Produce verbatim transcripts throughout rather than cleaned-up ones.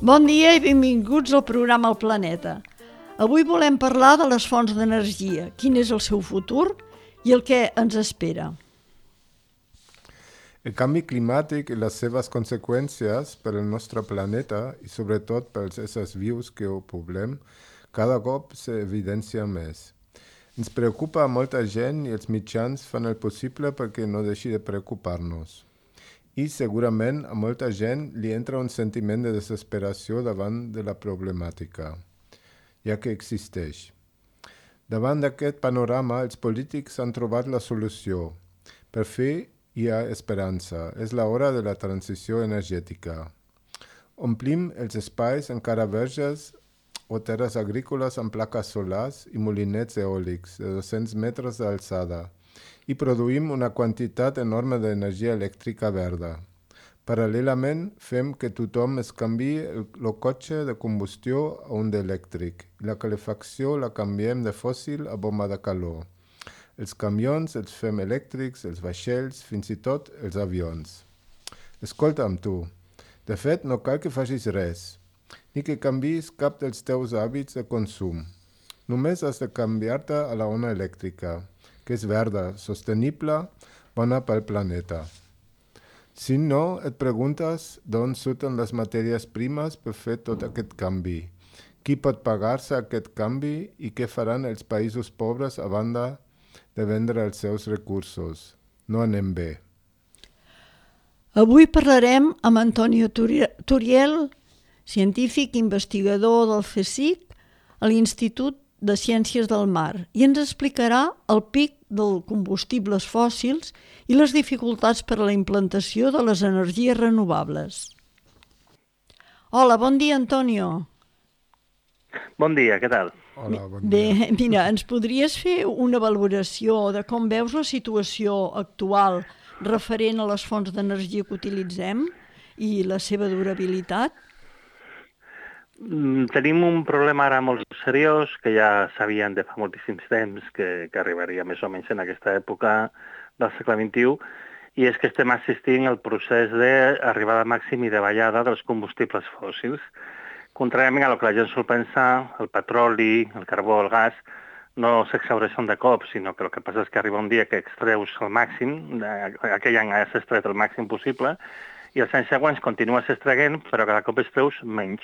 Bon dia i benvinguts al programa El Planeta. Avui volem parlar de les fonts d'energia, quin és el seu futur i el que ens espera. El canvi climàtic i les seves conseqüències per al nostre planeta i sobretot pels éssers vius que ho poblem, cada cop s'evidencia més. Ens preocupa a molta gent i els mitjans fan el possible perquè no deixi de preocupar-nos. I segurament a molta gent li entra un sentiment de desesperació davant de la problemàtica, ja que existeix. Davant d'aquest panorama, els polítics han trobat la solució. Per fi hi ha esperança. És l'hora de la transició energètica. Omplim els espais encara verges o terres agrícoles amb plaques solars i molinets eòlics de dos-cents metres d'alçada i produïm una quantitat enorme d'energia elèctrica verda. Paral·lelament, fem que tothom es canviï el, el cotxe de combustió a un d'elèctric i la calefacció la canviem de fòssil a bomba de calor. Els camions els fem elèctrics, els vaixells, fins i tot els avions. Escolta'm tu, de fet no cal que facis res, ni que canviïs cap dels teus hàbits de consum. Només has de canviar-te a la ona elèctrica, que és verda, sostenible, bona pel planeta. Si no, et preguntes d'on surten les matèries primes per fer tot aquest canvi. Qui pot pagar-se aquest canvi i què faran els països pobres a banda de vendre els seus recursos? No anem bé. Avui parlarem amb Antonio Turiel, científic investigador del CSIC a l'Institut de Ciències del Mar, i ens explicarà el pic dels combustibles fòssils i les dificultats per a la implantació de les energies renovables. Hola, bon dia, Antonio. Bon dia, què tal? Hola, bon dia. Bé, mira, ens podries fer una valoració de com veus la situació actual referent a les fonts d'energia que utilitzem i la seva durabilitat? Tenim un problema ara molt seriós, que ja sabien de fa moltíssims temps que, que arribaria més o menys en aquesta època del segle vint-i-u, i és que estem assistint al procés d'arribada màxim i de ballada dels combustibles fòssils. Contràriament a el que la gent sol pensar, el petroli, el carbó, el gas, no s'exhaureixen de cop, sinó que el que passa és que arriba un dia que extreus el màxim, aquell any has extret el màxim possible, i els anys següents continues extraient, però cada cop extreus menys.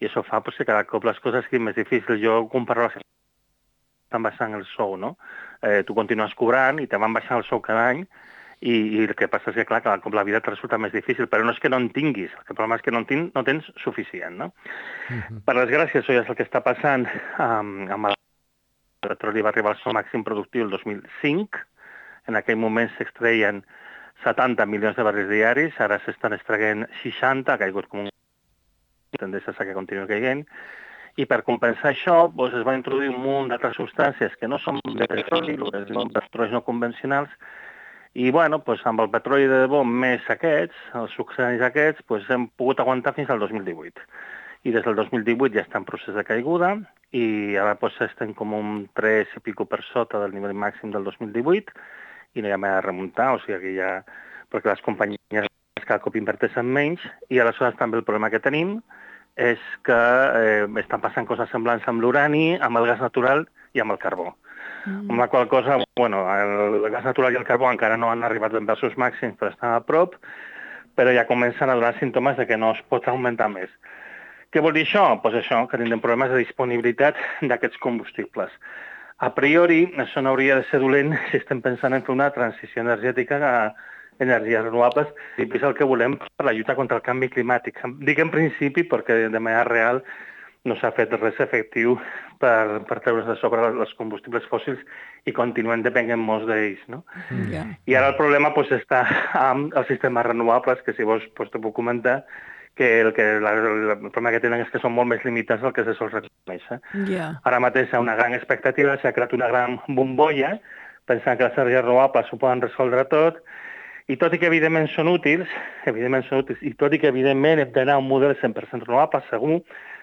I això fa pues, que cada cop les coses siguin més difícils. Jo comparo les que estan baixant el sou, no? Eh, tu continues cobrant i te van baixant el sou cada any i, i el que passa és que, clar, cada cop la vida et resulta més difícil, però no és que no en tinguis, el problema és que no en tin, no tens suficient, no? Uh-huh. Per desgràcia, això ja és el que està passant um, amb el petroli va arribar al seu màxim productiu el dos mil cinc, en aquell moment s'extreien setanta milions de barrils diaris, ara s'estan extraient seixanta, ha caigut com un tendència a que continua caient, i per compensar això doncs, es va introduir un munt d'altres substàncies que no són de petroli, el que es diuen petròleis no convencionals, i bueno, doncs, amb el petroli de debò més aquests, els succedanis aquests, doncs, hem pogut aguantar fins al dos mil divuit. I des del dos mil divuit ja està en procés de caiguda, i ara doncs, estem com un tres i pico per sota del nivell màxim del dos mil divuit, i no hi ha més a remuntar, o sigui que ja... perquè les companyies cada cop inverteixen menys, i aleshores també el problema que tenim és que eh, estan passant coses semblants amb l'urani, amb el gas natural i amb el carbó. Mm. Amb la qual cosa, bueno, el gas natural i el carbó encara no han arribat ben bé als seus màxims, però estan a prop, però ja comencen a donar símptomes de que no es pot augmentar més. Què vol dir això? Doncs això, que tindrem problemes de disponibilitat d'aquests combustibles. A priori, això no hauria de ser dolent si estem pensant en fer una transició energètica a energies renovables, i és el que volem per la lluita contra el canvi climàtic. Dic en principi perquè de manera real no s'ha fet res efectiu per, per treure's de sobre els combustibles fòssils i continuem depenent molts d'ells. No? Yeah. I ara el problema pues, està amb els sistemes renovables, que si vols pues, te puc comentar que el, que la, el problema que tenen és que són molt més limitats del que se sol reconèixer. Yeah. Ara mateix hi ha una gran expectativa, s'ha creat una gran bombolla, pensant que les energies renovables ho poden resoldre tot, i tot i que evidentment són útils, evidentment són útils, i tot i que evidentment hem d'anar a un model cent per cent renovable, segur,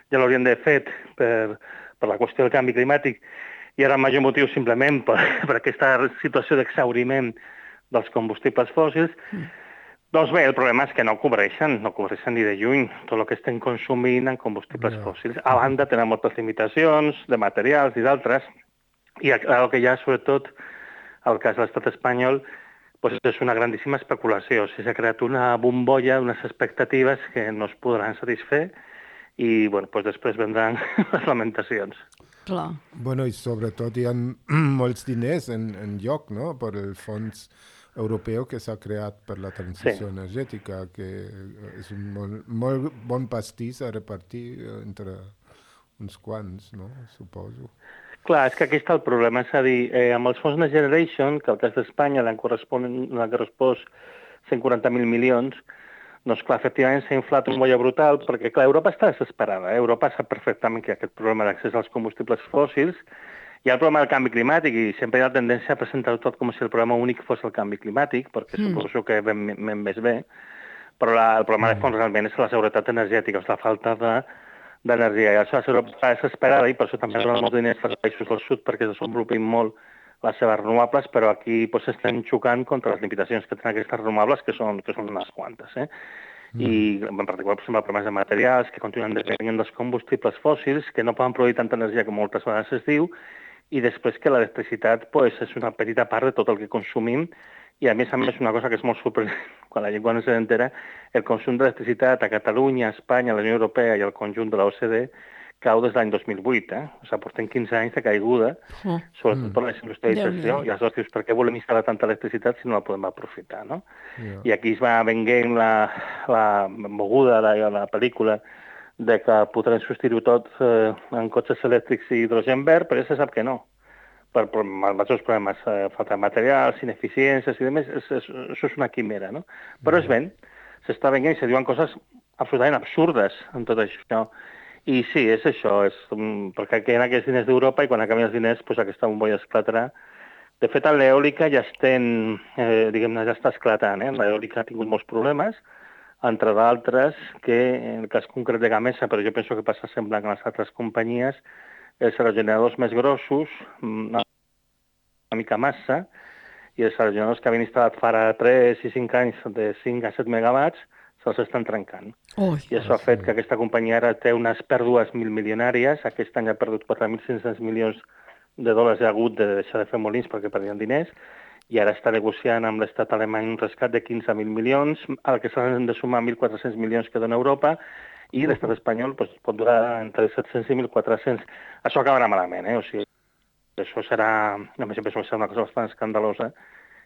ja l'hauríem de fet per, per la qüestió del canvi climàtic, i ara el major motiu simplement per, per aquesta situació d'exhauriment dels combustibles fòssils, mm. Doncs bé, el problema és que no cobreixen, no cobreixen ni de lluny tot el que estem consumint en combustibles Ja. fòssils. A banda, tenen moltes limitacions de materials i d'altres, i el el que hi ha, sobretot, al cas de l'estat espanyol, doncs és una grandíssima especulació. O sigui, s'ha creat una bombolla, unes expectatives que no es podran satisfer i bueno, doncs després vendran les lamentacions. Clar. Bueno, i sobretot hi ha molts diners en, en lloc, no?, per el fons europeu que s'ha creat per la transició Sí. energètica, que és un molt, molt bon pastís a repartir entre uns quants, no?, suposo. Clar, és que aquí està el problema, és a dir, eh, amb els fons Next Generation, que al cas d'Espanya l'han correspost cent quaranta mil milions, doncs clar, efectivament s'ha inflat una bolla brutal, perquè clar, Europa està desesperada, eh? Europa sap perfectament que hi ha aquest problema d'accés als combustibles fòssils, hi ha el problema del canvi climàtic i sempre hi ha la tendència a presentar-ho tot com si el problema únic fos el canvi climàtic, perquè mm. suposo que ben, ben més bé, però la, el problema de fons realment és la seguretat energètica, és la falta de, d'energia. I això Europa està desesperada i per això també donen molts diners als països del sud perquè desenvolupin molt les seves renovables, però aquí pues, estem xocant contra les limitacions que tenen aquestes renovables, que són, que són unes quantes. Eh? Mm. I en particular, per exemple, problemes de materials que continuen depenent dels combustibles fòssils, que no poden produir tanta energia com moltes vegades es diu, i després que l'electricitat pues, és una petita part de tot el que consumim i a més a més una cosa que és molt sorprenent, quan la gent no se n'entera, el consum d'electricitat a Catalunya, a Espanya, a la Unió Europea i al conjunt de l'O C D E cau des de l'any dos mil vuit. Eh? O sigui, portem quinze anys de caiguda, oh. sobretot per la industrialització, i aleshores dius, per què volem instal·lar tanta electricitat si no la podem aprofitar, no? Yeah. I aquí es va venguent la, la moguda de la, la pel·lícula de que podrem substituir tot eh, en cotxes elèctrics i hidrogen verd, però ja se sap que no. Per, per majors problemes, eh, falta de materials, ineficiències i demés, és, és, això és una quimera, no? Però es ven, s'està venent i se diuen coses absolutament absurdes en tot això. I sí, és això, és, um, perquè queden aquests diners d'Europa i quan acabin els diners, pues, aquesta bombolla esclatarà. De fet, a l'eòlica ja estem, eh, diguem-ne, ja està esclatant, eh? L'eòlica ha tingut molts problemes, entre d'altres que, en el cas concret de Gamesa, però jo penso que passa semblant a les altres companyies, els aerogeneradors més grossos, una, una mica massa, i els aerogeneradors que havien instal·lat fa tres i cinc anys de cinc a set megawatts se'ls estan trencant. Ui, I això ha fet que aquesta companyia ara té unes pèrdues mil milionàries, aquest any ha perdut quatre mil cinc-cents milions de dòlars i ha hagut de deixar de fer molins perquè perdien diners, i ara està negociant amb l'estat alemany un rescat de quinze mil milions, al que s'han de sumar mil quatre-cents milions que dona Europa, i l'estat espanyol pues, pot durar entre set-cents i mil quatre-cents. Això acabarà malament, eh? O sigui, això serà, a més, penso que serà una cosa bastant escandalosa.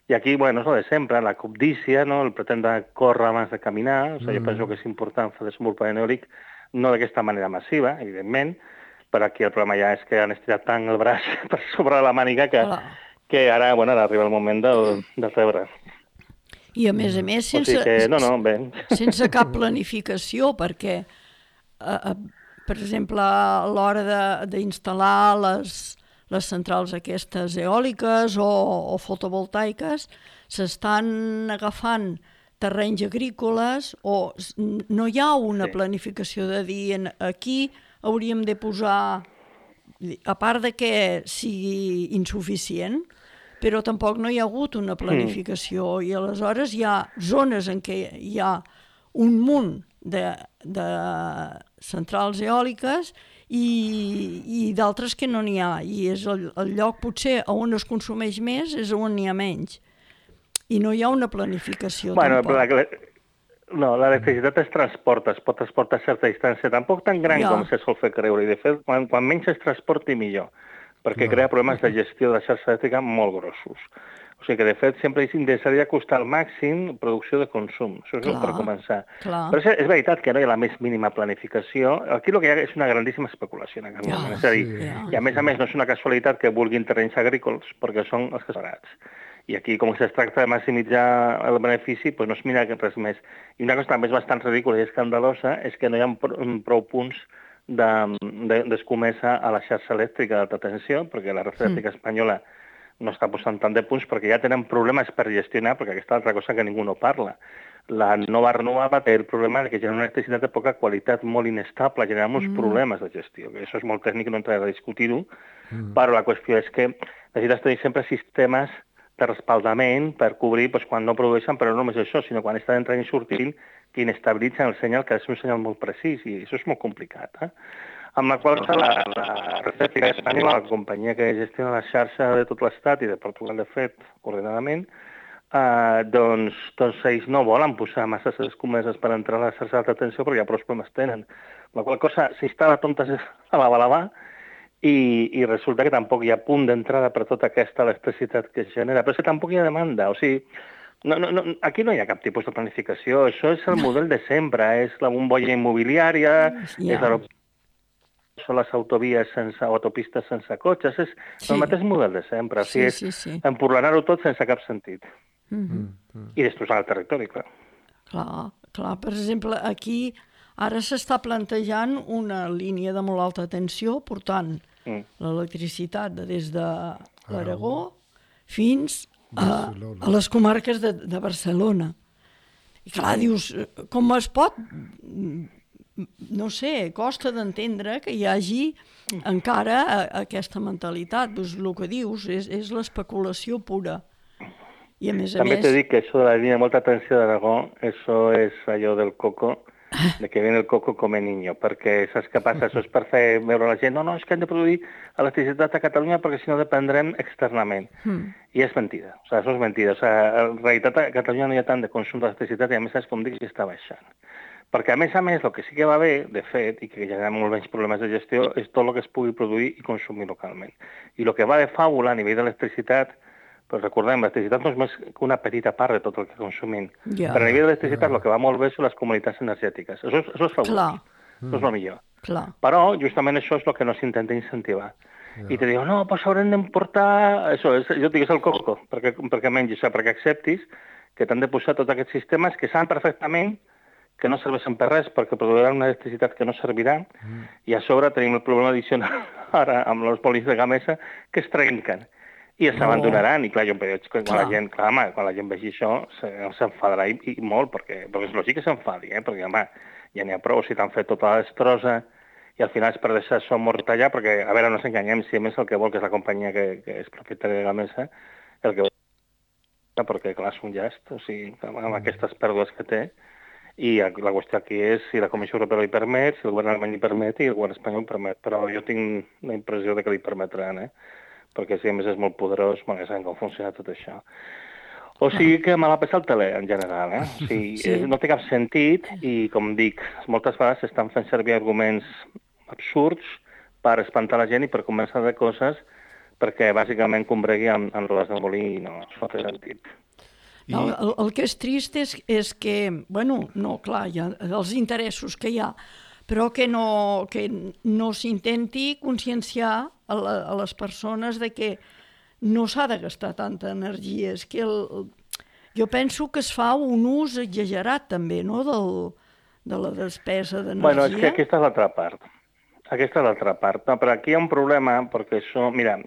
I aquí, bueno, és el de sempre, la cobdícia, no? El pretendre córrer abans de caminar, o sigui, mm. jo penso que és important fer desenvolupament eòlic, no d'aquesta manera massiva, evidentment, però aquí el problema ja és que han estirat tant el braç per sobre la màniga que... Hola. que ara, bueno, ara arriba el moment del, del rebre. I a més a més, sense, o sigui que, no, no, bé. sense cap planificació, perquè, eh, per exemple, a l'hora d'instal·lar les, les centrals aquestes eòliques o, o fotovoltaiques, s'estan agafant terrenys agrícoles o no hi ha una sí. planificació de dir aquí hauríem de posar, a part de que sigui insuficient, però tampoc no hi ha hagut una planificació mm. i aleshores hi ha zones en què hi ha un munt de, de centrals eòliques i, i d'altres que no n'hi ha. I és el, el lloc potser on es consumeix més és on n'hi ha menys. I no hi ha una planificació bueno, tampoc. La, no, l'electricitat es transporta, es pot transportar a certa distància, tampoc tan gran ja. com se sol fer creure. I de fet, quan, quan menys es transporti millor, perquè no. crea problemes de gestió de la xarxa elèctrica molt grossos. O sigui que, de fet, sempre és necessari acostar al màxim producció de consum. Això és clar, per començar. Clar. Però és, és veritat que no hi ha la més mínima planificació. Aquí el que hi ha és una grandíssima especulació en aquest moment. Ja, és a dir, sí, ja. i a més a més no és una casualitat que vulguin terrenys agrícoles, perquè són els que són barats. I aquí, com que es tracta de maximitzar el benefici, doncs no es mira res més. I una cosa també és bastant ridícula i escandalosa és que no hi ha prou punts d'escomesa de, de, a la xarxa elèctrica d'alta tensió, perquè la red elèctrica mm. espanyola no està posant tant de punts perquè ja tenen problemes per gestionar, perquè aquesta altra cosa que ningú no parla. La nova renovable té el problema que genera una electricitat de poca qualitat, molt inestable, genera molts mm. problemes de gestió, que això és molt tècnic, no entraré a discutir-ho, mm. però la qüestió és que necessites tenir sempre sistemes de respaldament per cobrir doncs, quan no produeixen, però no només això, sinó quan estan entrant i sortint, que inestabilitzen el senyal, que ha de ser un senyal molt precís, i això és molt complicat. Eh? Amb la qual cosa, la, la Red Eléctrica Espanyola, la companyia que gestiona la xarxa de tot l'Estat i de Portugal, de fet, coordinadament, eh, doncs, doncs ells no volen posar masses escomeses per entrar a la xarxa d'alta tensió perquè ja prou problemes tenen. La qual cosa s'instal·la tontes a la balabà, I, i resulta que tampoc hi ha punt d'entrada per tota aquesta electricitat que es genera, però és que tampoc hi ha demanda. O sigui, no, no, no, aquí no hi ha cap tipus de planificació, això és el model de sempre, és la bombolla immobiliària, yeah. és són les autovies sense, o autopistes sense cotxes, és sí. el mateix model de sempre, o sigui, sí, sí, sí. és empurlanar-ho tot sense cap sentit. Mm-hmm. Mm-hmm. I destrossar el territori, clar. Clar, clar, per exemple, aquí ara s'està plantejant una línia de molt alta tensió, portant mm. l'electricitat de des de l'Aragó fins a, a les comarques de, de Barcelona. I clar, dius, com es pot... No sé, costa d'entendre que hi hagi encara aquesta mentalitat. Pues el que dius és, és l'especulació pura. I a més a També més... t'he dit que això de la línia de molta tensió d'Aragó, això és allò del coco, de que viene el coco come niño, perquè saps què passa? Això és per fer veure la gent, no, no, és que hem de produir electricitat a Catalunya perquè si no dependrem externament. Mm. I és mentida, o sigui, això és mentida. O sigui, en realitat a Catalunya no hi ha tant de consum d'electricitat i a més, saps com dic, si està baixant. Perquè a més a més, el que sí que va bé, de fet, i que genera molt menys problemes de gestió, és tot el que es pugui produir i consumir localment. I el que va de fàbula a nivell d'electricitat, però recordem, l'electricitat no és més que una petita part de tot el que consumim. Yeah. Però a nivell d'electricitat el que va molt bé són les comunitats energètiques. Això és, això és fabulós. Això és el millor. Clar. Però justament això és el que no s'intenta incentivar. Yeah. I te diuen, no, doncs haurem d'emportar... Això, és, jo et dic, és el coco, perquè, perquè mengis, perquè acceptis que t'han de posar tots aquests sistemes que saben perfectament que no serveixen per res perquè produiran una electricitat que no servirà mm. i a sobre tenim el problema addicional ara amb els polis de Gamesa que es trenquen i es abandonaran. I clar, jo em veig que quan la gent, clar, home, quan la gent vegi això s'enfadarà i, i molt, perquè, perquè és lògic que s'enfadi, eh? Perquè home, ja n'hi ha prou si t'han fet tota la destrossa i al final és per deixar això mort allà, perquè, a veure, no ens enganyem, si a més el que vol, que és la companyia que, que és propietària de Gamesa, el que vol, perquè clar, és un llast, o sigui, amb aquestes pèrdues que té. I la qüestió aquí és si la Comissió Europea li permet, si el govern alemany li permet i el govern espanyol permet. Però jo tinc la impressió de que li permetran, eh? Perquè si a més és molt poderós, bueno, ja sabem com funciona tot això. O sigui que me l'ha passat el tele, en general, eh? O sigui, sí. No té cap sentit i, com dic, moltes vegades s'estan fent servir arguments absurds per espantar la gent i per convèncer de coses perquè bàsicament combregui amb, amb rodes de molí i no, no té sentit. No, el, el que és trist és, és que, bueno, no, clar, hi ha els interessos que hi ha, però que no, que no s'intenti conscienciar a, la, a les persones de que no s'ha de gastar tanta energia. És que el, jo penso que es fa un ús exagerat també, no?, del, de la despesa d'energia. Bueno, és que aquesta és l'altra part. Aquesta és l'altra part. No, però aquí hi ha un problema, perquè això, mira...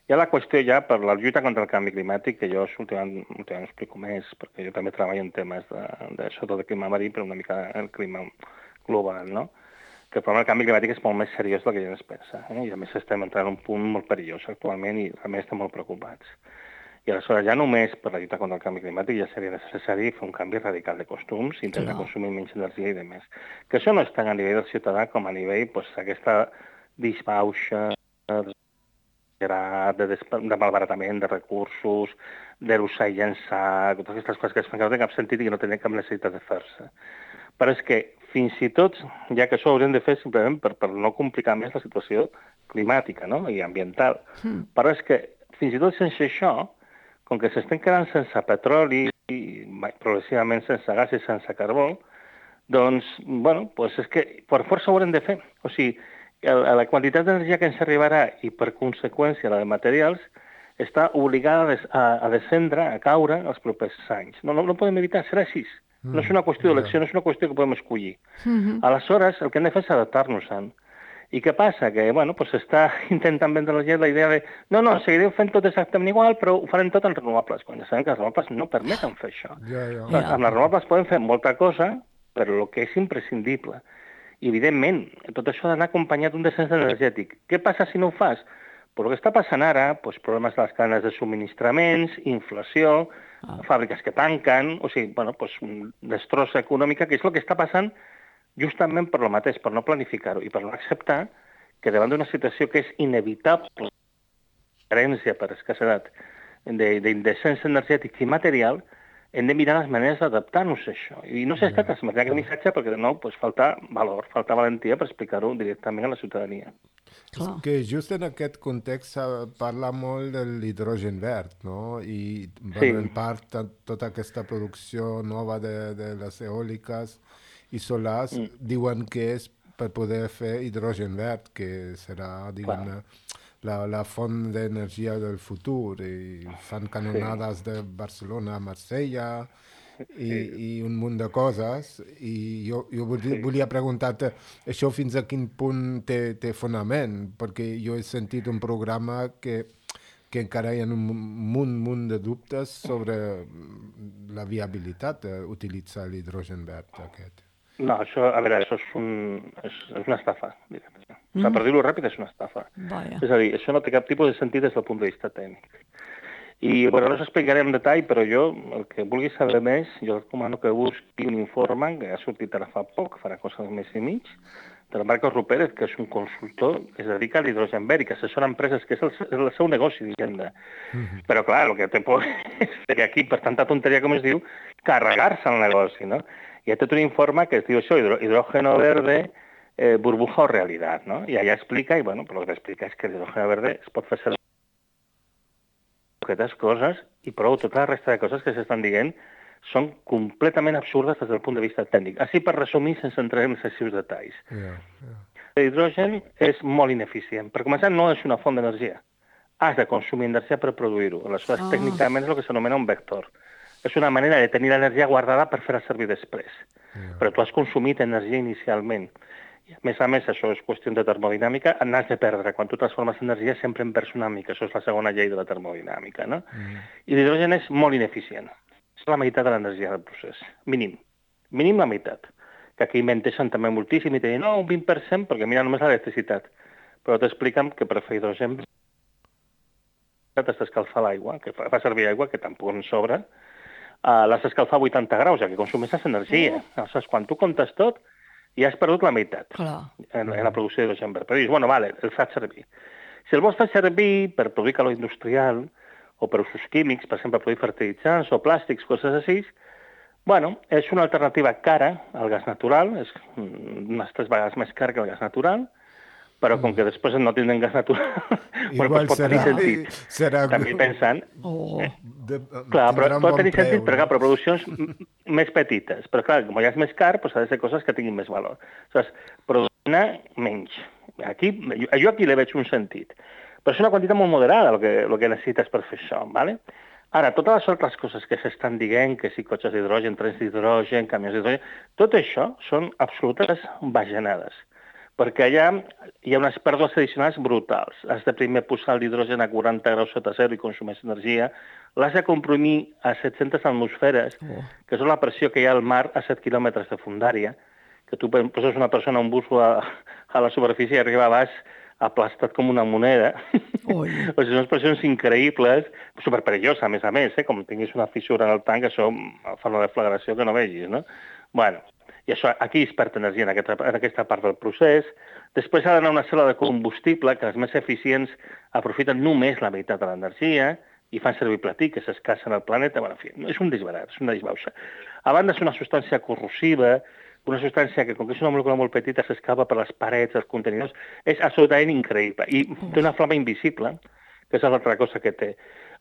Hi ha la qüestió ja per la lluita contra el canvi climàtic, que jo últimament, últimament explico més, perquè jo també treballo en temes de, de sobretot del clima marí, però una mica el clima global, no? Que el problema del canvi climàtic és molt més seriós del que ja es pensa, eh? I a més estem entrant en un punt molt perillós actualment i a més estem molt preocupats. I aleshores ja només per la lluita contra el canvi climàtic ja seria necessari fer un canvi radical de costums, intentar no. consumir menys energia i demés. Que això no és tant a nivell del ciutadà com a nivell pues, aquesta disbauxa de, de malbaratament de recursos, de l'usar i llençar, totes aquestes coses que es fan que no tenen cap sentit i que no tenen cap necessitat de fer-se. Però és que fins i tot, ja que això ho haurem de fer simplement per, per no complicar més la situació climàtica, no?, i ambiental, mm. però és que fins i tot sense això, com que s'estem quedant sense petroli i progressivament sense gas i sense carbó, doncs, bueno, doncs és que per força ho haurem de fer. O sigui, la quantitat d'energia que ens arribarà i, per conseqüència, la de materials, està obligada a, a descendre, a caure els propers anys. No, no, no podem evitar, serà així. No és una qüestió d'elecció, no és una qüestió que podem escollir. Mm-hmm. Aleshores, el que hem de fer és adaptar-nos-en. I què passa? Que, bueno, pues s'està intentant vendre a la gent la idea de no, no, seguirem fent tot exactament igual, però ho farem tot en renovables, quan ja sabem que les renovables no permeten fer això. Ja, ja. Ja. Amb les renovables podem fer molta cosa, però el que és imprescindible. I, evidentment, tot això ha d'anar acompanyat d'un descens energètic. Què passa si no ho fas? Però el que està passant ara, doncs, problemes a les cadenes de subministraments, inflació, ah. fàbriques que tanquen, o sigui, bueno, doncs, destrossa econòmica, que és el que està passant justament per lo mateix, per no planificar-ho i per no acceptar que davant d'una situació que és inevitable, carència per escassedat, d'indecència energètica i material, hem de mirar les maneres d'adaptar-nos a això. I no s'ha estat transmetre aquest missatge perquè, de nou, pues, falta valor, falta valentia per explicar-ho directament a la ciutadania. És que just en aquest context parla molt de l'hidrogen verd, no? I bueno, sí. en part tota aquesta producció nova de, de les eòliques i solars mm. diuen que és per poder fer hidrogen verd, que serà, diguem-ne, la, la font d'energia del futur, i fan canonades sí. de Barcelona a Marsella i, sí. i un munt de coses, i jo, jo volia, sí. volia preguntar-te això fins a quin punt té, té fonament, perquè jo he sentit un programa que, que encara hi ha un munt, munt de dubtes sobre la viabilitat d'utilitzar l'hidrogen verd aquest. No, això, a veure, això és, un, és, és una estafa, diguem. Mm. O sigui, per dir-ho ràpid, és una estafa. Vaya. És a dir, això no té cap tipus de sentit des del punt de vista tècnic. I, bueno, no us explicaré en detall, però jo, el que vulgui saber més, jo recomano que busqui un informe que ha sortit ara fa poc, farà cosa d'un mes i mig, del Marcos Rupérez, que és un consultor que es dedica a l'hidrogen verd i que assessora empreses, que és el, el seu negoci, diguem. Mm-hmm. Però, clar, el que té por és que aquí, per tanta tonteria com es diu, carregar-se el negoci, no? Hi ha tot un informe que es diu això, hidrógeno verde, eh, burbuja o realitat, no? I allà explica, i bueno, però el que explica és que l'hidrógeno verde es pot fer servir aquestes coses, i prou, tota la resta de coses que s'estan dient són completament absurdes des del punt de vista tècnic. Així per resumir, sense entrar en excessius detalls. Yeah, yeah. L'hidrogen és molt ineficient. Per començar, no és una font d'energia. Has de consumir energia per produir-ho. Aleshores, oh. tècnicament és el que s'anomena un vector. És una manera de tenir l'energia guardada per fer-la servir després. Yeah. Però tu has consumit energia inicialment. I a més a més, això és qüestió de termodinàmica, n'has de perdre. Quan tu transformes energia sempre en perds una mica. Això és la segona llei de la termodinàmica, no? Mm. I l'hidrogen és molt ineficient. És la meitat de l'energia del procés. Mínim. Mínim la meitat. Que aquí menteixen també moltíssim i te diuen, no, un vint per cent, perquè mira només l'electricitat. Però t'expliquen que per fer hidrogen t'has d'escalfar l'aigua, que fa servir aigua, que tampoc en sobra, uh, l'has d'escalfar a vuitanta graus, ja que consumeixes energia. Oh. Aleshores, quan tu comptes tot, ja has perdut la meitat en, en la producció d'hidrogen verd. Però dius, bueno, vale, el faig servir. Si el vols fer servir per produir calor industrial o per usos químics, per exemple, produir fertilitzants o plàstics, coses així, bueno, és una alternativa cara al gas natural, és unes tres vegades més cara que el gas natural, però com que després no tindrem gas natural, bueno, doncs pot tenir sentit. Serà... També pensant... Oh. De, clar, però pot tenir sentit, però clar, per produccions més petites. Però clar, com ja és més car, doncs ha de ser coses que tinguin més valor. Aleshores, produir menys. Aquí, jo aquí li veig un sentit. Però és una quantitat molt moderada el que, el que necessites per fer això, ¿vale? Ara, totes les altres coses que s'estan dient, que si cotxes d'hidrogen, trens d'hidrogen, camions d'hidrogen, tot això són absolutes bajanades, perquè allà hi ha unes pèrdues addicionals brutals. Has de primer posar l'hidrogen a quaranta graus sota zero i consumeix energia, l'has de comprimir a set-centes atmosferes, oh. que és la pressió que hi ha al mar a set quilòmetres de fundària, que tu poses una persona a un bus a, a la superfície i arriba a baix aplastat com una moneda. O sigui, són pressions increïbles, superperilloses, a més a més, eh? Com tinguis una fissura en el tanc, això fa una deflagració que no vegis, no? Bueno, i això aquí es perd energia en aquesta, en aquesta part del procés. Després ha d'anar una cel·la de combustible, que els més eficients aprofiten només la meitat de l'energia i fan servir platí, que s'escassa en el planeta. Bueno, en fi, és un disbarat, és una disbauxa. A banda, és una substància corrosiva, una substància que, com que és una molècula molt petita, s'escapa per les parets, els contenidors, és absolutament increïble. I té una flama invisible, que és l'altra cosa que té.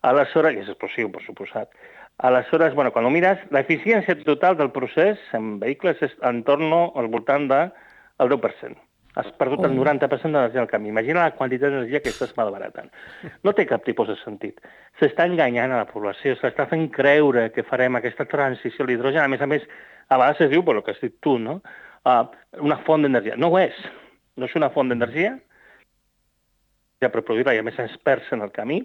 Aleshores, i és explosiu, per suposat. Aleshores, bueno, quan ho mires, l'eficiència total del procés en vehicles és en torn al voltant del deu per cent. Has perdut el noranta per cent d'energia al camí. Imagina la quantitat d'energia que estàs malbaratant. No té cap tipus de sentit. S'està enganyant a la població, s'està fent creure que farem aquesta transició a l'hidrogen. A més a més, a vegades es diu, per el que has dit tu, no? Uh, una font d'energia. No ho és. No és una font d'energia. Ja per produir-la, i a més ens perds en el camí.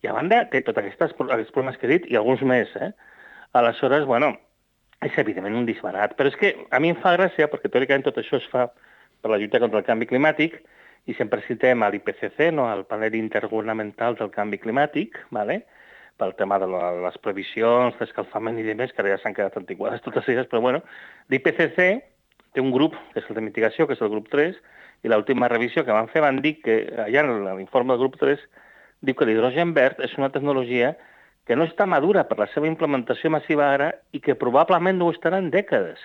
I a banda té tots aquests, aquests problemes que he dit i alguns més, eh? Aleshores, bueno, és evidentment un disbarat. Però és que a mi em fa gràcia, perquè teòricament tot això es fa per la lluita contra el canvi climàtic, i sempre citem a l'I P C C, no? El panel intergovernamental del canvi climàtic, ¿vale? Pel tema de la, les previsions, d'escalfament i demés, que ara ja s'han quedat antiquades totes elles, però bueno, l'I P C C té un grup, que és el de mitigació, que és el grup tres, i l'última revisió que van fer van dir que, allà en l'informe del grup tres, diu que l'hidrogen verd és una tecnologia que no està madura per la seva implementació massiva ara i que probablement no ho estarà en dècades.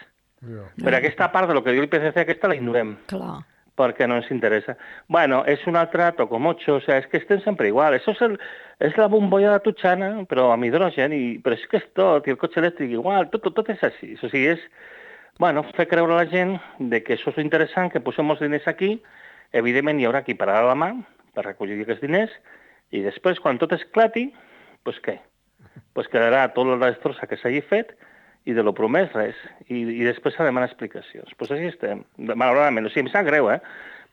Yeah. Per aquesta part de lo que diu l'I P C C, aquesta la ignorem. Clar. Perquè no ens interessa. Bueno, és un altre tocomocho, o sea, és que estem sempre igual. Això és, el, és la bombolla de Tutxana, però amb hidrogen, i, però és que és tot, i el cotxe elèctric igual, tot, tot, tot és així. O sigui, és, bueno, fer creure a la gent de que això és interessant, que posem els diners aquí, evidentment hi haurà qui pararà la mà per recollir aquests diners, i després, quan tot esclati, doncs què? Doncs quedarà tot la destrossa que s'hagi fet, i de lo promès res, i, i després s'ha de demanar explicacions. Doncs pues així estem, malauradament. O sigui, em sap greu, eh?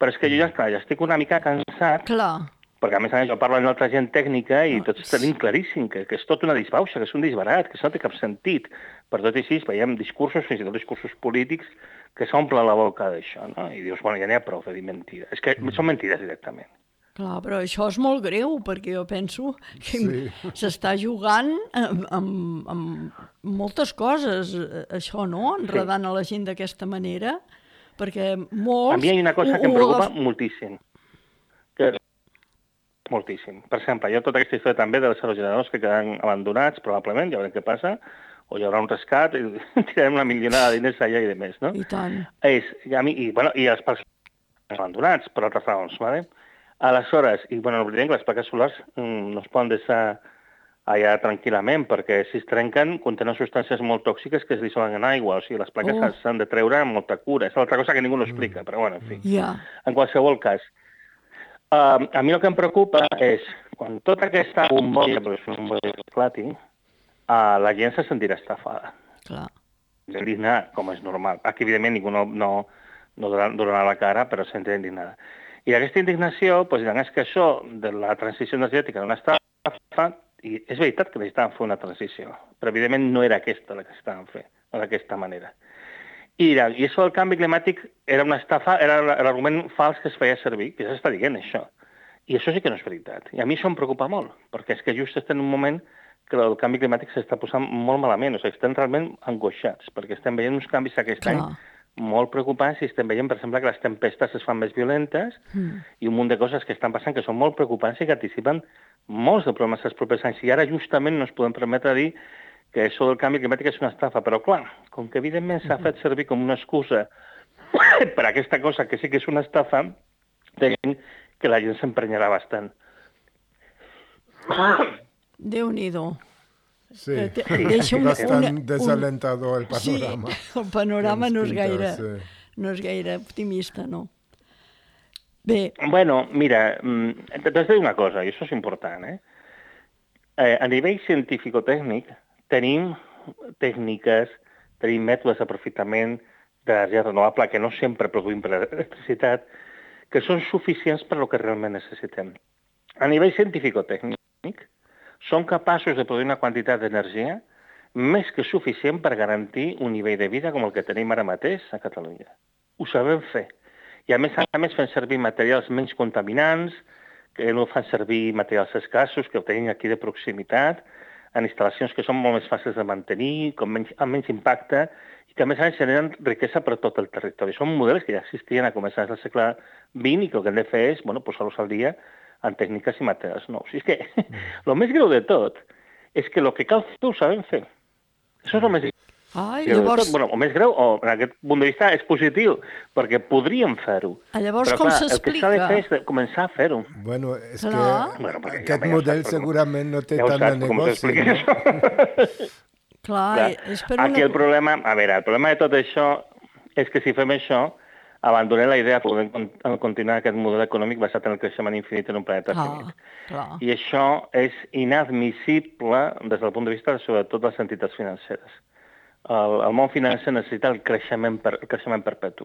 Però és que jo ja, clar, ja estic una mica cansat, clar. Perquè a més a més jo parlo amb altra gent tècnica i tots tenim claríssim que, que és tot una disbauxa, que és un disbarat, que això no té cap sentit. Per tot i així veiem discursos, fins i tot discursos polítics, que s'omple la boca d'això, no? I dius, bueno, ja n'hi ha prou de dir mentides. És que són mentides directament. Clar, però això és molt greu, perquè jo penso que sí. s'està jugant amb, amb, amb moltes coses, això, no? Enredant sí. a la gent d'aquesta manera, perquè molts... A mi hi ha una cosa que em preocupa agaf... moltíssim. Que... Moltíssim. Per exemple, hi ha tota aquesta història també dels aerogeneradors que quedaran abandonats, probablement, ja veurem què passa, o hi haurà un rescat, i tirarem una milionada de diners allà i de més, no? I tant. És, i, a mi, i, bueno, i els parcs abandonats, per altres raons, ¿vale? Aleshores, i bueno, no oblidem que les plaques solars mm, no es poden deixar allà tranquil·lament, perquè si es trenquen contenen substàncies molt tòxiques que es dissolen en aigua, o sigui, les plaques oh. s'han de treure amb molta cura. És altra cosa que ningú no explica, però bueno, en fi. Yeah. En qualsevol cas, uh, a mi el que em preocupa és, quan tota aquesta bombolla, perquè és una bombolla que esclati, uh, la gent se sentirà estafada. Clar. Indignada, com és normal. Aquí, evidentment, ningú no, no, no donarà la cara, però se sentirà indignada. I aquesta indignació, doncs, diran, és que això de la transició energètica no està fa, i és veritat que necessitaven fer una transició, però evidentment no era aquesta la que estaven fent, no d'aquesta manera. I, I això del canvi climàtic era una estafa, era l'argument fals que es feia servir, que ja s'està dient això. I això sí que no és veritat. I a mi això em preocupa molt, perquè és que just estem en un moment que el canvi climàtic s'està posant molt malament, o sigui, estem realment angoixats, perquè estem veient uns canvis aquest Clar. any molt preocupants i estem veient, per exemple, que les tempestes es fan més violentes mm. i un munt de coses que estan passant que són molt preocupants i que anticipen molts de problemes als propers anys. I ara justament no ens podem permetre dir que això del canvi climàtic és una estafa. Però clar, com que evidentment s'ha fet servir com una excusa per a aquesta cosa que sí que és una estafa, tenim que la gent s'emprenyarà bastant. Déu-n'hi-do. Sí, sí. bastant una, desalentador el panorama. Sí, el panorama no és, gaire, sí. no és gaire optimista, no? Bé. Bueno, mira, t'he de dir una cosa, i això és important, eh? eh a nivell científico-tècnic tenim tècniques, tenim mètodes d'aprofitament d'energia renovable que no sempre produïm per electricitat, que són suficients per al que realment necessitem. A nivell científico-tècnic, són capaços de produir una quantitat d'energia més que suficient per garantir un nivell de vida com el que tenim ara mateix a Catalunya. Ho sabem fer. I a més a més fem servir materials menys contaminants, que no fan servir materials escassos, que ho tenim aquí de proximitat, en instal·lacions que són molt més fàcils de mantenir, com menys, amb menys impacte, i que a més a més generen riquesa per tot el territori. Són models que ja existien a començaments del segle vint i que el que hem de fer és bueno, posar-los al dia en tècniques i materials nous. I és que el més greu de tot és que el que cal fer ho sabem fer. Això és el més greu. Ai, llavors... Bueno, el més greu, o en aquest punt de vista, és positiu, perquè podríem fer-ho. Llavors, però, com clar, s'explica? El que s'ha de fer és de començar a fer-ho. Bueno, és clar. que bueno, aquest ja model ja segurament no té ja tant de negoci. No? Clar, clar, és per una... Aquí el problema, a veure, el problema de tot això és que si fem això, abandonem la idea de poder continuar aquest model econòmic basat en el creixement infinit en un planeta ah, finit. Clar. I això és inadmissible des del punt de vista, sobretot, de les entitats financeres. El, el món financer necessita el creixement, per, el creixement perpetu.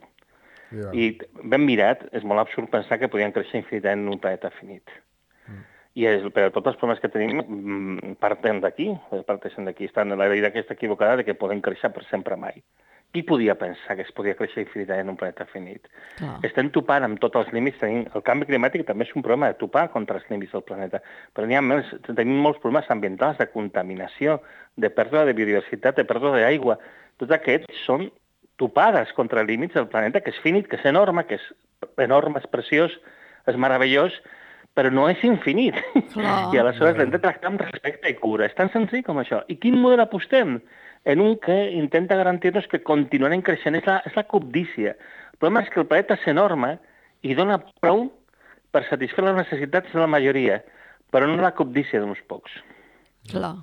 Yeah. I ben mirat, és molt absurd pensar que podien créixer infinitament en un planeta finit. Mm. I és, per tots els problemes que tenim parten d'aquí, parteixen d'aquí. Estan la idea aquesta equivocada de que podem créixer per sempre mai. Qui podia pensar que es podia créixer infinitament en un planeta finit? Clar. Estem topant amb tots els límits. Tenim... El canvi climàtic també és un problema de topar contra els límits del planeta. Però n'hi ha més... tenim molts problemes ambientals, de contaminació, de pèrdua de biodiversitat, de pèrdua d'aigua. Tots aquests són topades contra límits del planeta, que és finit, que és enorme, que és enorme, és preciós, és meravellós, però no és infinit. Clar. I aleshores l'hem de tractar amb respecte i cura. És tan senzill com això. I quin model apostem? En un que intenta garantir-nos que continuarem creixent. És la, és la cobdícia. El problema és que el planeta és enorme i dona prou per satisfer les necessitats de la majoria, però no la cobdícia d'uns pocs. Clar.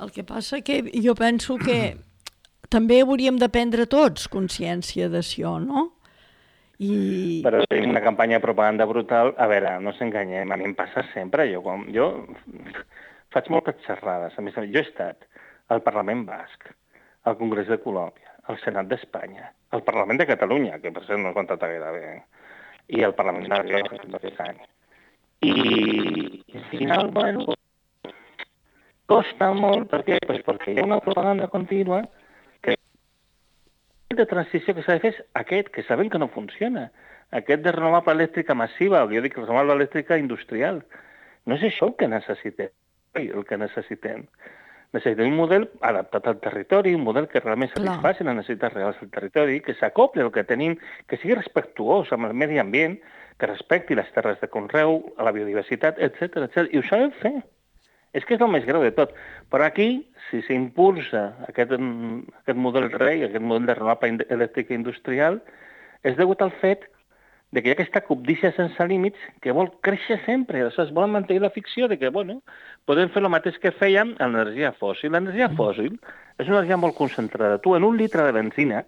El que passa que jo penso que també hauríem de prendre tots consciència d'això, no? I... Però tenim una campanya de propaganda brutal. A veure, no s'enganyem, a mi em passa sempre. Jo, quan, jo faig moltes xerrades. A més, jo he estat al Parlament Basc, al Congrés de Colòmbia, al Senat d'Espanya, al Parlament de Catalunya, que per cert no he contat gaire bé, i al Parlament de Rioja, que aquest any. I, i al final, bueno, costa molt, per què? Pues perquè hi ha una propaganda contínua que de transició que s'ha de fer és aquest, que sabem que no funciona, aquest de renovable elèctrica massiva, o jo dic renovable elèctrica industrial. No és això el que necessitem, el que necessitem. Necessitem un model adaptat al territori, un model que realment satisfaci les necessitats reals del territori, que s'acopli el que tenim, que sigui respectuós amb el medi ambient, que respecti les terres de conreu, a la biodiversitat, etcètera, etcètera. I ho sabem fer. És que és el més greu de tot. Però aquí, si s'impulsa aquest, aquest model rei, aquest model de renovable elèctrica industrial, és degut al fet de que hi ha aquesta cobdícia sense límits que vol créixer sempre. Aleshores, volen mantenir la ficció de que, bueno, podem fer el mateix que fèiem amb l'energia fòssil. L'energia fòssil és una energia molt concentrada. Tu, en un litre de benzina,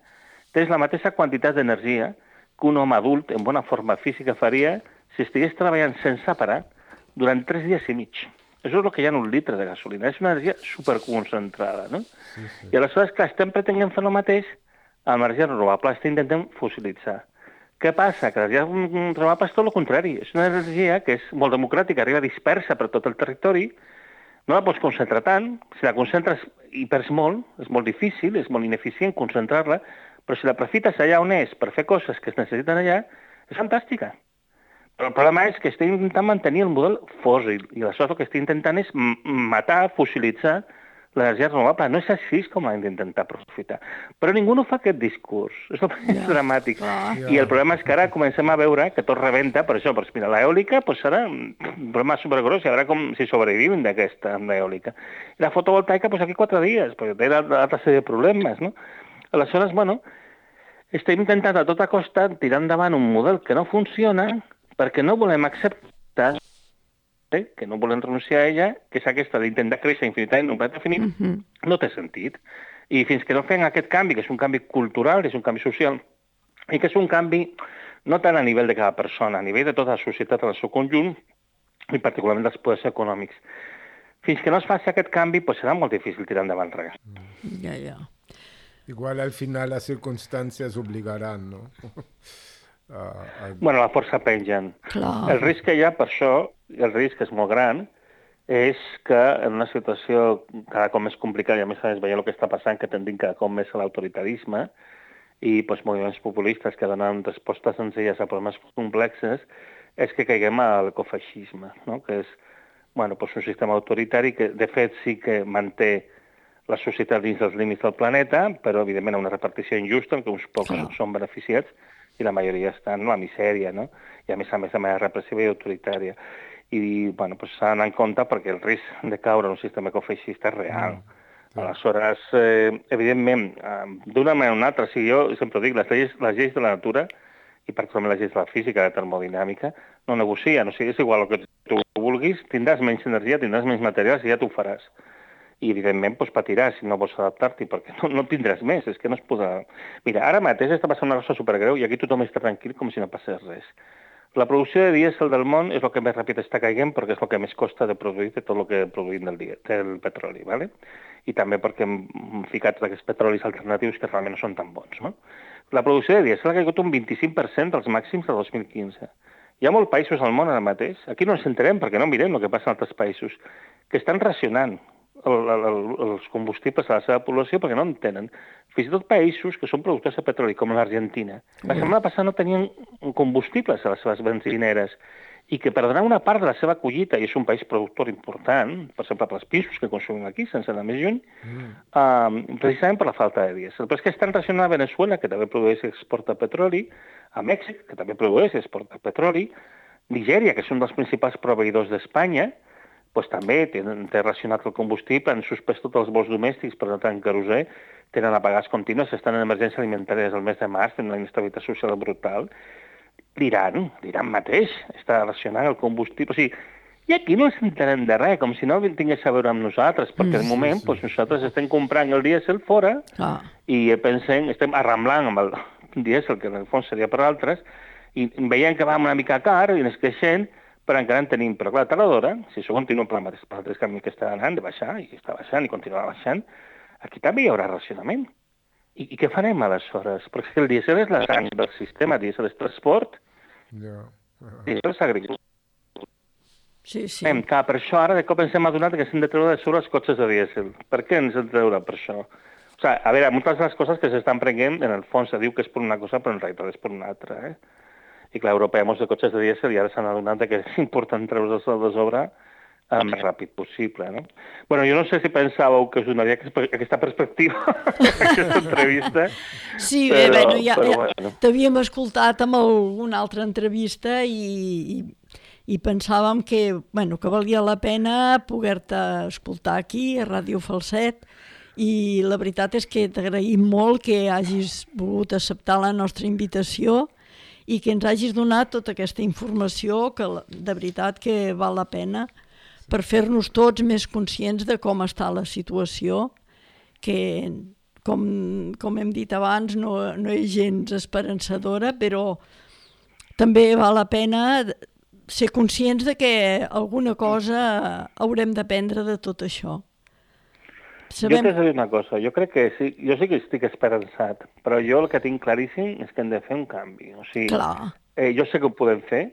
tens la mateixa quantitat d'energia que un home adult en bona forma física faria si estigués treballant sense parar durant tres dies i mig. Això és el que hi ha en un litre de gasolina. És una energia superconcentrada, no? Sí, sí. I aleshores, clar, estem pretenent fer el mateix amb l'energia renovable. Estem intentant fossilitzar. Què passa? Que l'energia renovable és tot el contrari. És una energia que és molt democràtica, arriba dispersa per tot el territori, no la pots concentrar tant. Si la concentres i perds molt, és molt difícil, és molt ineficient concentrar-la, però si la aprofites allà on és per fer coses que es necessiten allà, és fantàstica. Però el problema és que estem intentant mantenir el model fòssil, i aleshores el que estem intentant és matar, fossilitzar l'energia renovable. No és així com l'hem d'intentar aprofitar. Però ningú no fa aquest discurs. És el més dramàtic. I el problema és que ara comencem a veure que tot rebenta, per això, doncs mira, l'eòlica doncs serà un problema supergros, i a veure com si sobrevivim d'aquesta, amb l'eòlica. I la fotovoltaica, doncs aquí quatre dies, perquè té altra sèrie de problemes, no? Aleshores, bueno, estem intentant a tota costa tirar endavant un model que no funciona perquè no volem acceptar que no volem renunciar a ella, que és aquesta d'intentar créixer infinitament en un planeta finit, uh-huh. no té sentit. I fins que no fem aquest canvi, que és un canvi cultural, és un canvi social, i que és un canvi no tant a nivell de cada persona, a nivell de tota la societat en el seu conjunt, i particularment dels poders econòmics. Fins que no es faci aquest canvi, doncs serà molt difícil tirar endavant res. Ja, ja. Igual al final les circumstàncies obligaran, no? Uh, uh... Bueno, la força pengen. Clar. El risc que hi ha per això, el risc és molt gran, és que en una situació cada cop més complicada, i a més a més veient el que està passant, que tendim cada cop més a l'autoritarisme i doncs, moviments populistes que donen respostes senzilles a problemes complexes, és que caiguem a l'ecofeixisme, no? Que és bueno, doncs un sistema autoritari que de fet sí que manté la societat dins dels límits del planeta, però evidentment una repartició injusta en què uns pocs Clar. Són beneficiats i la majoria estan en la misèria, no? I a més a més de manera repressiva i autoritària. I bueno, pues, s'ha d'anar en compte perquè el risc de caure en un sistema ecofeixista és real. Mm. Aleshores, eh, evidentment, eh, d'una manera o una altra, si jo sempre dic, les lleis, les lleis de la natura, i particularment les lleis de la física, de termodinàmica, no negocien, o sigui, és igual el que tu vulguis, tindràs menys energia, tindràs menys materials i ja t'ho faràs. I, evidentment, doncs, patiràs si no vols adaptar-t'hi, perquè no, no tindràs més, és que no es podrà... Mira, ara mateix està passant una cosa supergreu i aquí tothom està tranquil com si no passés res. La producció de dièsel del món és el que més ràpid està caient perquè és el que més costa de produir de tot el que produïm del, dia, del petroli, ¿vale? I també perquè hem ficat aquests petrolis alternatius que realment no són tan bons, no? La producció de dièsel ha caigut un vint-i-cinc per cent dels màxims del dos mil quinze. Hi ha molts països al món ara mateix, aquí no ens enterem perquè no mirem el que passa en altres països, que estan racionant el, el, els combustibles a la seva població perquè no en tenen. Fins i tot països que són productors de petroli, com l'Argentina. La setmana passada no tenien combustibles a les seves benzineres i que perdran una part de la seva collita, i és un país productor important, per exemple, per els pisos que consumim aquí, sense anar més lluny, mm. uh, precisament per la falta de dièsel. Però és que estan racionant a Venezuela, que també produeix i exporta petroli, a Mèxic, que també produeix i exporta petroli, Nigèria, que és un dels principals proveïdors d'Espanya, pues, també té, té racionat el combustible, han suspès tots els vols domèstics, per tant, en querosè, tenen apagats contínues, estan en emergència alimentària des del mes de març, tenen una inestabilitat social brutal. L'Iran, l'Iran mateix, està racionant el combustible. O sigui, i aquí no ens entenem de res, com si no tingués a veure amb nosaltres, perquè mm, de moment sí, sí. Pues, nosaltres estem comprant el dièsel fora ah. i pensem, estem arramblant amb el dièsel, que en el fons seria per altres, i veiem que va una mica car i ens queixem, però encara en tenim. Però clar, a tal hora, si això continua per el mateix camí que està anant, de baixar, i està baixant i continuarà baixant, aquí també hi haurà racionament. I, i què farem aleshores? Perquè el dièsel és la sang del sistema, el dièsel és transport, yeah. uh-huh. dièsel és agricultura. Sí, sí. Hem, clar, per això ara de cop ens hem adonat que s'hem de treure de sobre els cotxes de dièsel. Per què ens hem de treure per això? O sigui, a veure, moltes de les coses que s'estan prenent, en el fons se diu que és per una cosa, però en realitat és per una altra. Eh? I clar, a Europa hi ha molts de cotxes de dièsel i ara s'han adonat que és important treure'ls de sobre el més ràpid possible, no? Bueno, jo no sé si pensàveu que us donaria aquesta perspectiva, aquesta entrevista. Sí, bé, però, bueno, ja, ja bueno. T'havíem escoltat amb alguna altra entrevista i, i, i pensàvem que, bueno, que valia la pena poder-te escoltar aquí, a Ràdio Falset, i la veritat és que t'agraïm molt que hagis volgut acceptar la nostra invitació i que ens hagis donat tota aquesta informació que de veritat que val la pena per fer-nos tots més conscients de com està la situació, que, com, com hem dit abans, no, no és gens esperançadora, però també val la pena ser conscients de que alguna cosa haurem d'aprendre de tot això. Sabem... Jo t'he de dir una cosa, jo crec que sí, jo sí que estic esperançat, però jo el que tinc claríssim és que hem de fer un canvi. O sigui, eh, jo sé que ho podem fer,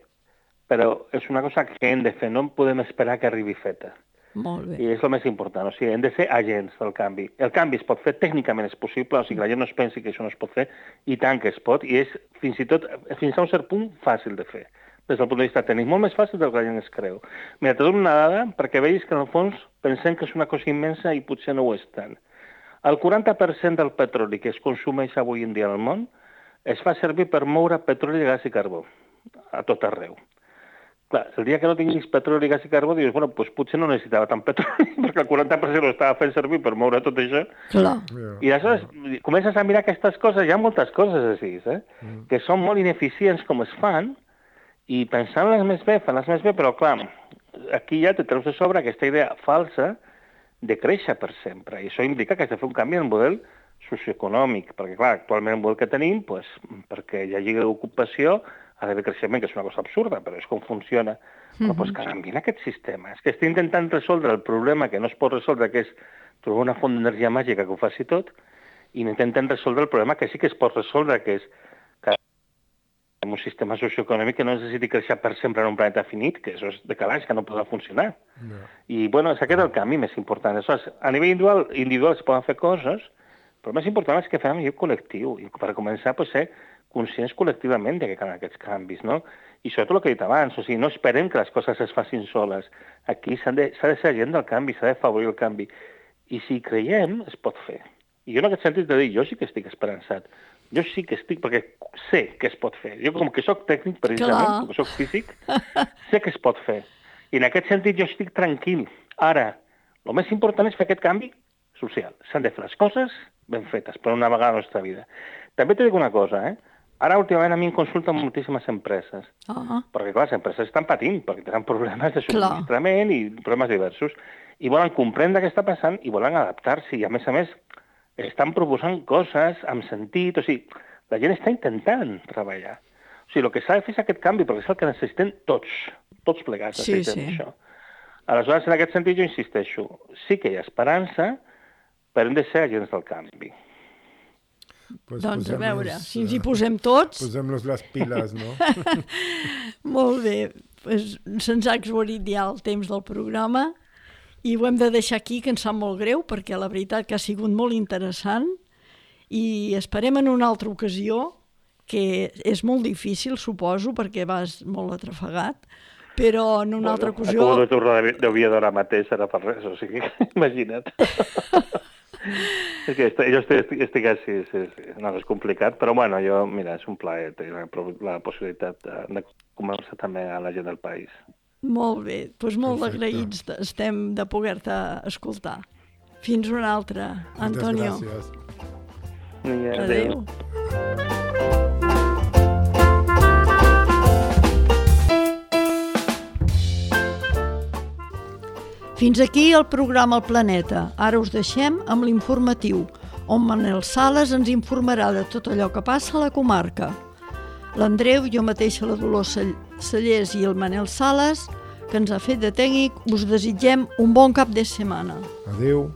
però és una cosa que hem de fer, no podem esperar que arribi feta. Molt bé. I és el més important, o sigui, hem de ser agents del canvi. El canvi es pot fer, tècnicament és possible, o sigui, la gent no es pensi que això no es pot fer, i tant que es pot, i és fins i tot, fins a un cert punt, fàcil de fer. Des del punt de vista tècnic, molt més fàcil del que la gent es creu. Mira, te dono una dada perquè veus que en el fons pensem que és una cosa immensa i potser no ho és tant. El quaranta per cent del petroli que es consumeix avui en dia al món es fa servir per moure petroli, gas i carbó, a tot arreu. Clar, el dia que no tinguis petroli, gas i carbó, dius, bueno, doncs potser no necessitava tant petroli, perquè el quaranta per cent ho estava fent servir per moure tot això. Clar. I aleshores comences a mirar aquestes coses, hi ha moltes coses així, eh? Mm. que són molt ineficients com es fan, i pensant-les més bé, fan-les més bé, però clar, aquí ja te treus de sobre aquesta idea falsa de créixer per sempre, i això implica que has de fer un canvi en el model socioeconòmic, perquè clar, actualment el model que tenim, pues, perquè hi hagi ocupació, ha d'haver creixement, que és una cosa absurda, però és com funciona. Mm-hmm. Però pues, canvien aquest sistema. És que estic intentant resoldre el problema que no es pot resoldre, que és trobar una font d'energia màgica que ho faci tot, i intentem resoldre el problema que sí que es pot resoldre, que és que en un sistema socioeconòmic que no necessiti créixer per sempre en un planeta finit, que això és de calaix, que no podrà funcionar. No. I, bueno, és aquest el canvi més important. Aleshores, a nivell individual, individual es poden fer coses, però el més important és que fem a nivell col·lectiu. I per començar, pues, ser conscients col·lectivament de que calen aquests canvis, no? I sobretot el que he dit abans, o sigui, no esperem que les coses es facin soles. Aquí s'ha de, s'ha de ser agent del canvi, s'ha de favorir el canvi. I si creiem, es pot fer. I jo en aquest sentit de dir, jo sí que estic esperançat. Jo sí que estic, perquè sé que es pot fer. Jo com que soc tècnic, precisament, com que soc físic, sé que es pot fer. I en aquest sentit jo estic tranquil. Ara, el més important és fer aquest canvi social. S'han de fer les coses ben fetes, per una vegada a la nostra vida. També t'he dit una cosa, eh? Ara, últimament, a mi em consulten moltíssimes empreses, uh-huh. perquè, clar, les empreses estan patint, perquè tenen problemes de subministrament i problemes diversos, i volen comprendre què està passant i volen adaptar-s'hi, i a més a més estan proposant coses amb sentit, o sigui, la gent està intentant treballar. O sigui, el que s'ha de fer és aquest canvi, perquè és el que necessitem tots, tots plegats necessitem sí, sí. això. Aleshores, en aquest sentit, jo insisteixo, sí que hi ha esperança, però hem de ser agents del canvi. Pues doncs a veure, si ens hi posem tots... Posem-nos les piles, no? Molt bé, pues, se'ns ha exhaurit ja el temps del programa I ho hem de deixar aquí, que ens sap molt greu, perquè la veritat que ha sigut molt interessant i esperem en una altra ocasió, que és molt difícil, suposo, perquè vas molt atrafegat, però en una bueno, altra ocasió... Acabo de tornar d'Oviedo ara mateix, ara per res, o sigui, imagina't. És que jo estic, estic així, sí, sí. No, és complicat, però bueno, jo, mira, és un plaer tenir la possibilitat de, de conversar també a la gent del país. Molt bé, doncs molt agraïts estem de poder-te escoltar. Fins una altra, Antonio. Moltes gràcies. Adéu. Fins aquí el programa El Planeta. Ara us deixem amb l'informatiu, on Manel Sales ens informarà de tot allò que passa a la comarca. L'Andreu, jo mateixa, la Dolors Cellers i el Manel Sales, que ens ha fet de tècnic, us desitgem un bon cap de setmana. Adéu.